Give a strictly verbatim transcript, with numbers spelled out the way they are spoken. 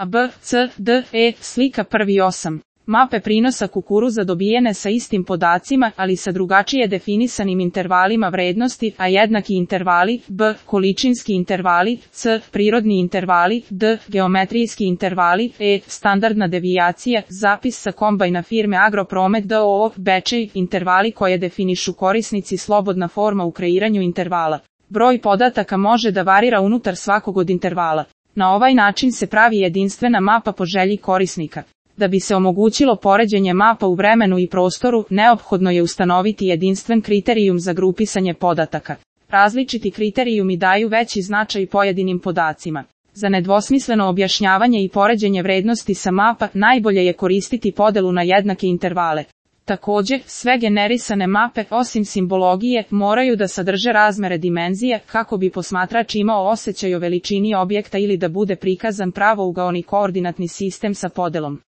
A, B, C, D, E, slika prvi osam. Mape prinosa kukuruza dobijene sa istim podacima, ali sa drugačije definisanim intervalima vrednosti, a jednaki intervali, B, količinski intervali, C, prirodni intervali, D, geometrijski intervali, E, standardna devijacija, zapis sa kombajna firme Agropromet d o o, Bečej, intervali koje definišu korisnici slobodna forma u kreiranju intervala. Broj podataka može da varira unutar svakog od intervala. Na ovaj način se pravi jedinstvena mapa po želji korisnika. Da bi se omogućilo poređenje mapa u vremenu i prostoru, neophodno je ustanoviti jedinstven kriterijum za grupisanje podataka. Različiti kriterijumi daju veći značaj pojedinim podacima. Za nedvosmisleno objašnjavanje i poređenje vrednosti sa mapa, najbolje je koristiti podelu na jednake intervale. Također, sve generisane mape, osim simbologije, moraju da sadrže razmere dimenzije, kako bi posmatrač imao osjećaj o veličini objekta ili da bude prikazan pravougaoni koordinatni sistem sa podelom.